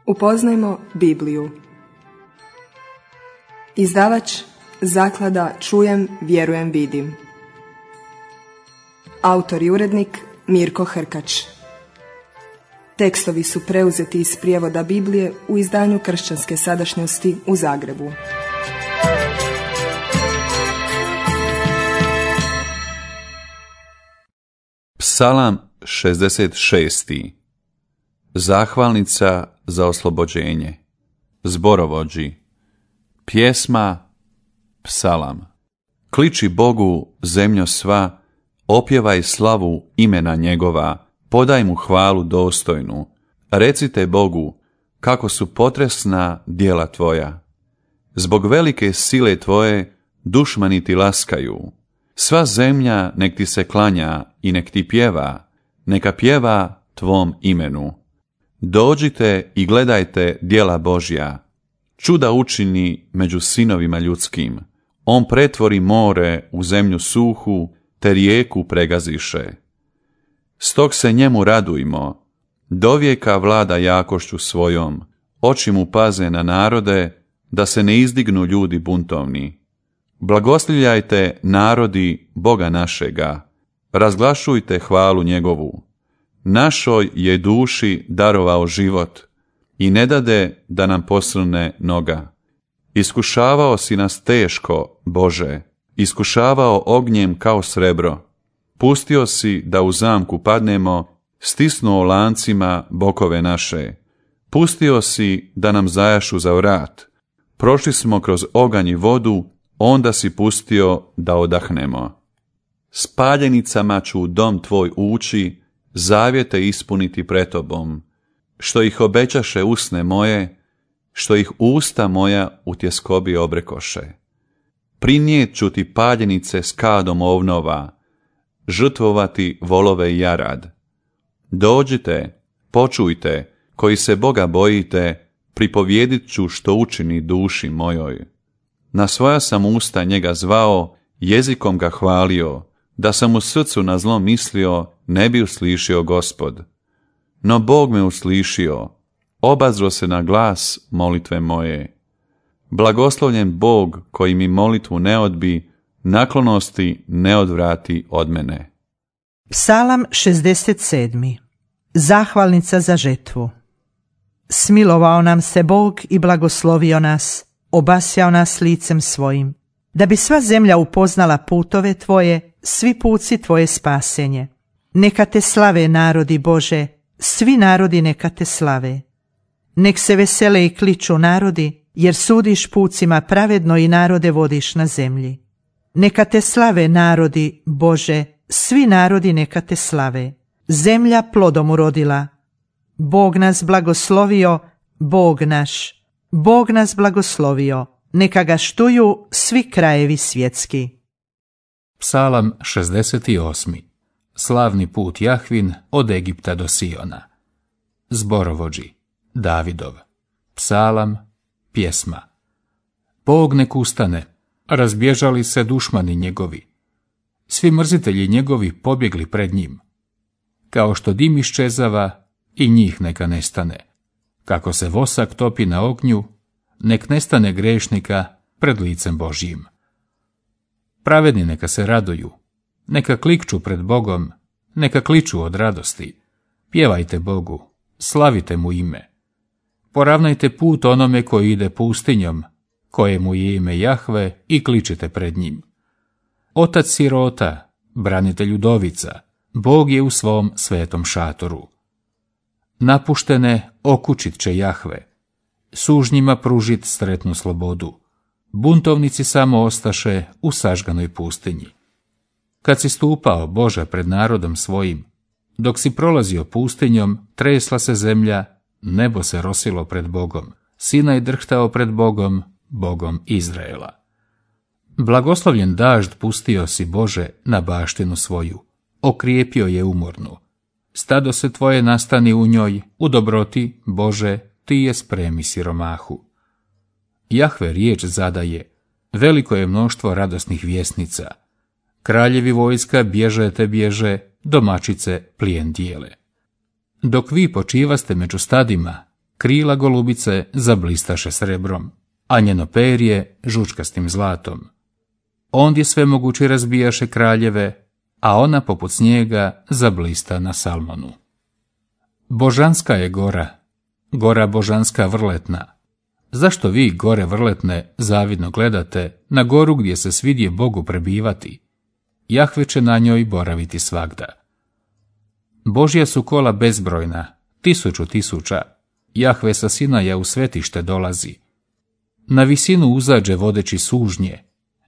Upoznajmo Bibliju. Izdavač Zaklada Čujem, vjerujem, vidim. Autor i urednik Mirko Hrkač. Tekstovi su preuzeti iz prijevoda Biblije u izdanju Kršćanske sadašnjosti u Zagrebu. Psalam 66. Zahvalnica za oslobođenje. Zborovođi. Pjesma, psalam. Kliči Bogu, zemljo sva, opjevaj slavu imena njegova, podaj mu hvalu dostojnu. Recite Bogu, kako su potresna djela tvoja. Zbog velike sile tvoje, dušmani ti laskaju. Sva zemlja nek ti se klanja i nek ti pjeva, neka pjeva tvom imenu. Dođite i gledajte djela Božja. Čuda učini među sinovima ljudskim. On pretvori more u zemlju suhu, te rijeku pregaziše. Stog se njemu radujmo, dovijeka vlada jakošću svojom, oči mu paze na narode, da se ne izdignu ljudi buntovni. Blagoslivljajte narodi Boga našega, razglašujte hvalu njegovu. Našoj je duši darovao život i ne dade da nam posrne noga. Iskušavao si nas teško, Bože, iskušavao ognjem kao srebro. Pustio si da u zamku padnemo, stisnuo lancima bokove naše. Pustio si da nam zajašu za vrat. Prošli smo kroz oganj i vodu, onda si pustio da odahnemo. S paljenicama ću u dom tvoj ući, zavjete ispuniti pred tobom. Što ih obećaše usne moje, što ih usta moja u tjeskobi obrekoše. Prinijet ću ti paljenice s kadom ovnova, žrtvovati volove i jarad. Dođite, počujte, koji se Boga bojite, pripovjedit ću što učini duši mojoj. Na svoja sam usta njega zvao, jezikom ga hvalio, da sam u srcu na zlo mislio, ne bi uslišio Gospod. No Bog me uslišio, obazro se na glas molitve moje. Blagoslovljen Bog koji mi molitvu ne odbi, naklonosti ne odvrati od mene. Psalam 67. Zahvalnica za žetvu. Smilovao nam se Bog i blagoslovio nas, obasjao nas licem svojim, da bi sva zemlja upoznala putove tvoje, svi puci tvoje spasenje. Neka te slave narodi Bože, svi narodi neka te slave. Nek se vesele i kliču narodi, jer sudiš pucima pravedno i narode vodiš na zemlji. Neka te slave narodi Bože, svi narodi neka te slave. Zemlja plodom urodila. Bog nas blagoslovio, Bog naš. Bog nas blagoslovio, neka ga štuju svi krajevi svjetski. Psalam 68. Slavni put Jahvin od Egipta do Siona. Zborovođi. Davidov. Psalam, pjesma. Bog nek ustane, razbježali se dušmani njegovi. Svi mrzitelji njegovi pobjegli pred njim. Kao što dim iščezava, i njih neka nestane. Kako se vosak topi na ognju, nek nestane grešnika pred licem Božjim. Pravedni neka se raduju, neka klikću pred Bogom, neka kliču od radosti. Pjevajte Bogu, slavite mu ime. Poravnajte put onome koji ide pustinjom, kojemu je ime Jahve, i kličite pred njim. Otac sirota, branitelj udovica, Bog je u svom svetom šatoru. Napuštene okućit će Jahve, sužnjima pružit sretnu slobodu. Buntovnici samo ostaše u sažganoj pustinji. Kad si stupao, Bože, pred narodom svojim, dok si prolazio pustinjom, tresla se zemlja, nebo se rosilo pred Bogom, Sinaj drhtao pred Bogom, Bogom Izraela. Blagoslovljen dažd pustio si, Bože, na baštinu svoju, okrijepio je umornu. Stado se tvoje nastani u njoj, u dobroti, Bože, ti je spremi siromahu. Jahve riječ zadaje, veliko je mnoštvo radosnih vjesnica. Kraljevi vojska bježe te bježe, domaćice plijen dijele. Dok vi počivaste među stadima, krila golubice zablistaše srebrom, a njeno perje žučkastim zlatom. Ondje svemogući razbijaše kraljeve, a ona poput snijega zablista na Salmonu. Božanska je gora, gora božanska vrletna. Zašto vi, gore vrletne, zavidno gledate na goru gdje se svidje Bogu prebivati? Jahve će na njoj boraviti svagda. Božja su kola bezbrojna, 1000 Jahve sa Sinaja u svetište dolazi. Na visinu uzađe vodeći sužnje,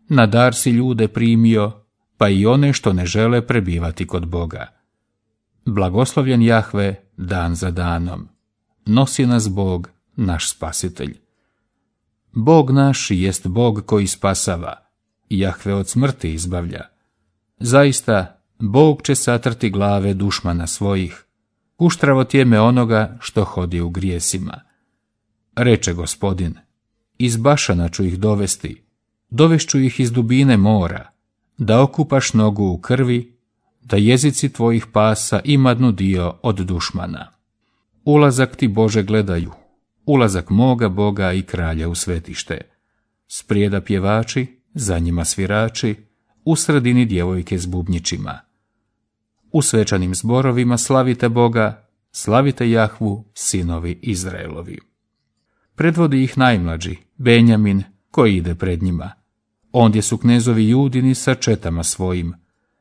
na dar si ljude primio, pa i one što ne žele prebivati kod Boga. Blagoslovljen Jahve dan za danom. Nosi nas Bog, naš spasitelj. Bog naš jest Bog koji spasava, Jahve od smrti izbavlja. Zaista, Bog će satrti glave dušmana svojih, kuštravo tjeme onoga što hodi u grijesima. Reče Gospodin, iz Bašana ću ih dovesti, dovešću ih iz dubine mora, da okupaš nogu u krvi, da jezici tvojih pasa imadnu dio od dušmana. Ulazak ti, Bože, gledaju, ulazak moga Boga i kralja u svetište. Sprijeda pjevači, za njima svirači, u sredini djevojke s bubnjićima. U svečanim zborovima slavite Boga, slavite Jahvu, sinovi Izraelovi. Predvodi ih najmlađi, Benjamin, koji ide pred njima. Ondje su knezovi Judini sa četama svojim,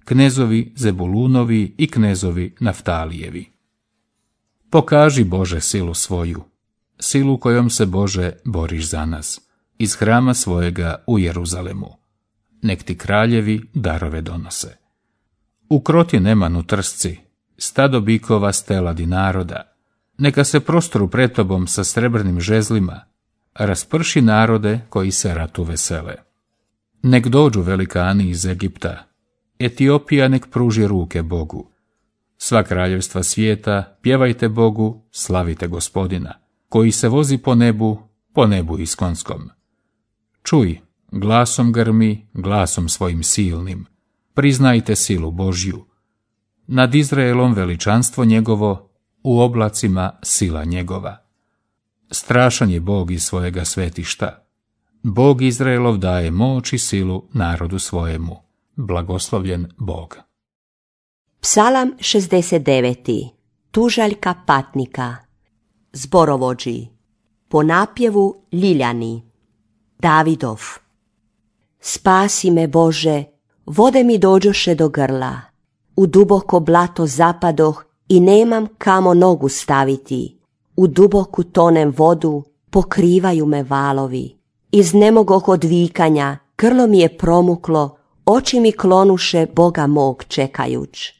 knezovi Zebulunovi i knezovi Naftalijevi. Pokaži, Bože, silu svoju, silu kojom se, Bože, boriš za nas, iz hrama svojega u Jeruzalemu. Nek ti kraljevi darove donose. Ukroti Nemanu trsci, stado bikova steladi naroda, neka se prostru pred tobom sa srebrnim žezlima, rasprši narode koji se ratu vesele. Nek dođu velikani iz Egipta, Etiopija nek pruži ruke Bogu. Sva kraljevstva svijeta, pjevajte Bogu, slavite Gospodina, koji se vozi po nebu iskonskom. Čuj, glasom grmi, glasom svojim silnim, priznajte silu Božju. Nad Izraelom veličanstvo njegovo, u oblacima sila njegova. Strašan je Bog iz svojega svetišta. Bog Izraelov daje moć i silu narodu svojemu. Blagoslovljen Bog. Psalam 69. Tužaljka patnika. Zborovođi. Po napjevu Ljiljani. Davidov. Spasi me, Bože, vode mi dođoše do grla. U duboko blato zapadoh i nemam kamo nogu staviti. U duboku tonem vodu, pokrivaju me valovi. Iznemogoh od vikanja, grlo mi je promuklo, oči mi klonuše Boga mog čekajuć.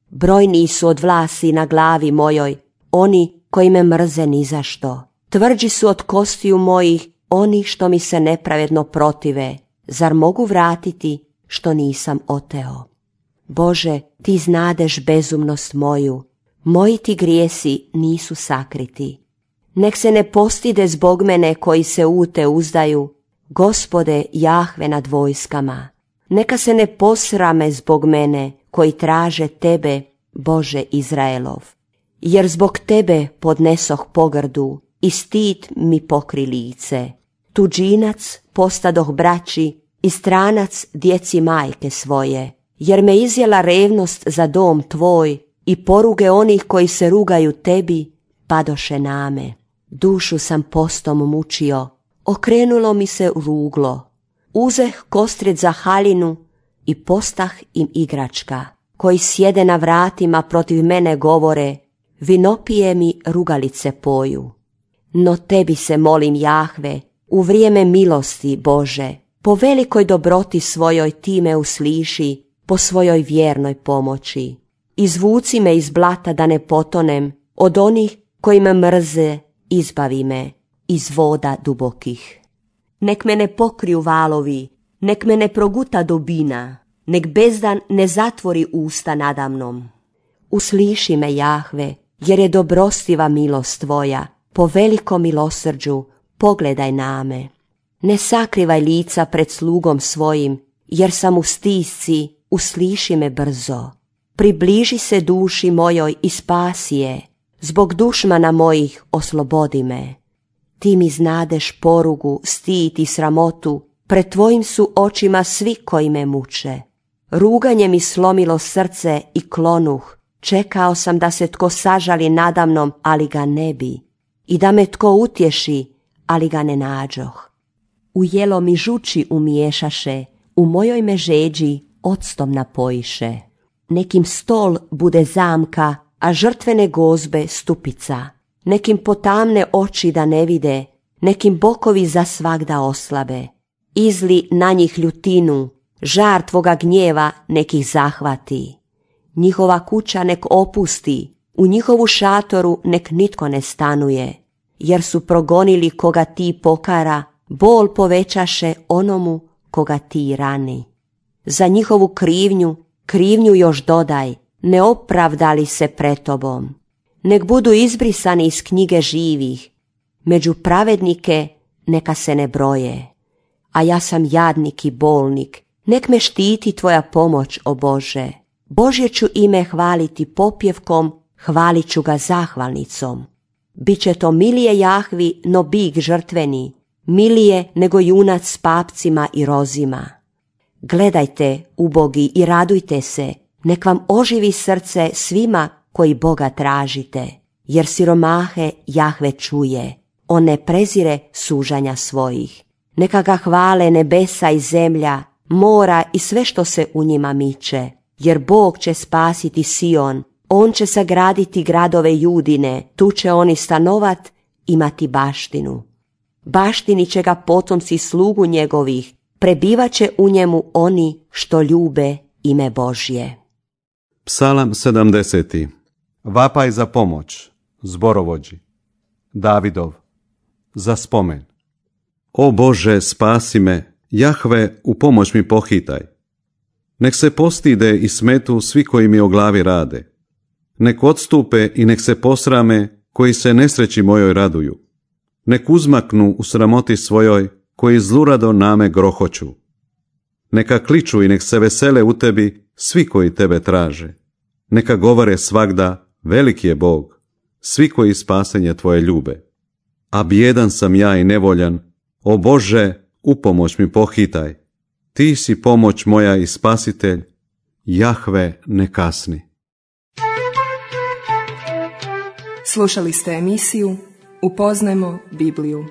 Brojni su od vlasi na glavi mojoj, oni koji me mrze nizašto. Tvrđi su od kostiju mojih, oni što mi se nepravedno protive. Zar mogu vratiti što nisam oteo? Bože, ti znadeš bezumnost moju, moji ti grijesi nisu sakriti. Nek se ne postide zbog mene koji se u te uzdaju, Gospode Jahve nad vojskama. Neka se ne posrame zbog mene koji traže tebe, Bože Izraelov. Jer zbog tebe podnesoh pogrdu i stid mi pokri lice. Tuđinac postadoh braći i stranac djeci majke svoje. Jer me izjela revnost za dom tvoj i poruge onih koji se rugaju tebi padoše name. Dušu sam postom mučio, okrenulo mi se ruglo. Uzeh kostrijed za haljinu i postah im igračka, koji sjede na vratima protiv mene govore, vinopije mi rugalice poju. No tebi se molim, Jahve, u vrijeme milosti, Bože, po velikoj dobroti svojoj ti me usliši, po svojoj vjernoj pomoći. Izvuci me iz blata da ne potonem, od onih koji me mrze, izbavi me iz voda dubokih. Nek me ne pokriju valovi, nek me ne proguta dubina, nek bezdan ne zatvori usta nadamnom. Usliši me, Jahve, jer je dobrostiva milost tvoja, po velikom milosrđu pogledaj na me. Ne sakrivaj lica pred slugom svojim, jer sam u stisci, usliši me brzo. Približi se duši mojoj i spasi je. zbog dušmana mojih oslobodi me. Ti mi znadeš porugu, stid i sramotu, pred tvojim su očima svi koji me muče. Ruganje mi slomilo srce i klonuh, čekao sam da se tko sažali nadamnom, ali ga ne bi, i da me tko utješi, ali ga ne nađoh. U jelo mi žuči umiješaše, u mojoj me žeđi octom napojiše. Nekim stol bude zamka, a žrtvene gozbe stupica. Nekim potamne oči da ne vide, nekim bokovi za svagda oslabe. Izli na njih ljutinu, žar tvoga gnjeva nekih zahvati. Njihova kuća nek opusti, u njihovu šatoru nek nitko ne stanuje, jer su progonili koga ti pokara, bol povećaše onomu koga ti rani. Za njihovu krivnju još dodaj, ne opravdali se pred tobom. Nek budu izbrisani iz knjige živih, među pravednike neka se ne broje. A ja sam jadnik i bolnik, nek me štiti tvoja pomoć, o Bože. Božje ću ime hvaliti popjevkom, hvalit ću ga zahvalnicom. Biće to milije Jahvi no bik žrtveni, milije nego junac s papcima i rozima. Gledajte, ubogi, i radujte se, nek vam oživi srce svima koji Boga tražite, jer siromahe Jahve čuje, on ne prezire sužanja svojih. Neka ga hvale nebesa i zemlja, mora i sve što se u njima miče, jer Bog će spasiti Sion, on će sagraditi gradove Judine, tu će oni stanovat, imati baštinu. Baštini će ga potomci slugu njegovih, prebivaće u njemu oni što ljube ime Božje. Psalam 70. Vapaj za pomoć, zborovođi. Davidov, za spomen. O Bože, spasi me, Jahve, u pomoć mi pohitaj. Nek se postide i smetu svi koji mi o glavi rade. Nek odstupe i nek se posrame koji se nesreći mojoj raduju. Nek uzmaknu u sramoti svojoj koji zlurado name grohoću. Neka kliču i nek se vesele u tebi svi koji tebe traže. Neka govore svagda, veliki je Bog, svi koji spasenje tvoje ljube. A bijedan sam ja i nevoljan, o Bože, u pomoć mi pohitaj. Ti si pomoć moja i spasitelj, Jahve ne kasni. Slušali ste emisiju Upoznajmo Bibliju.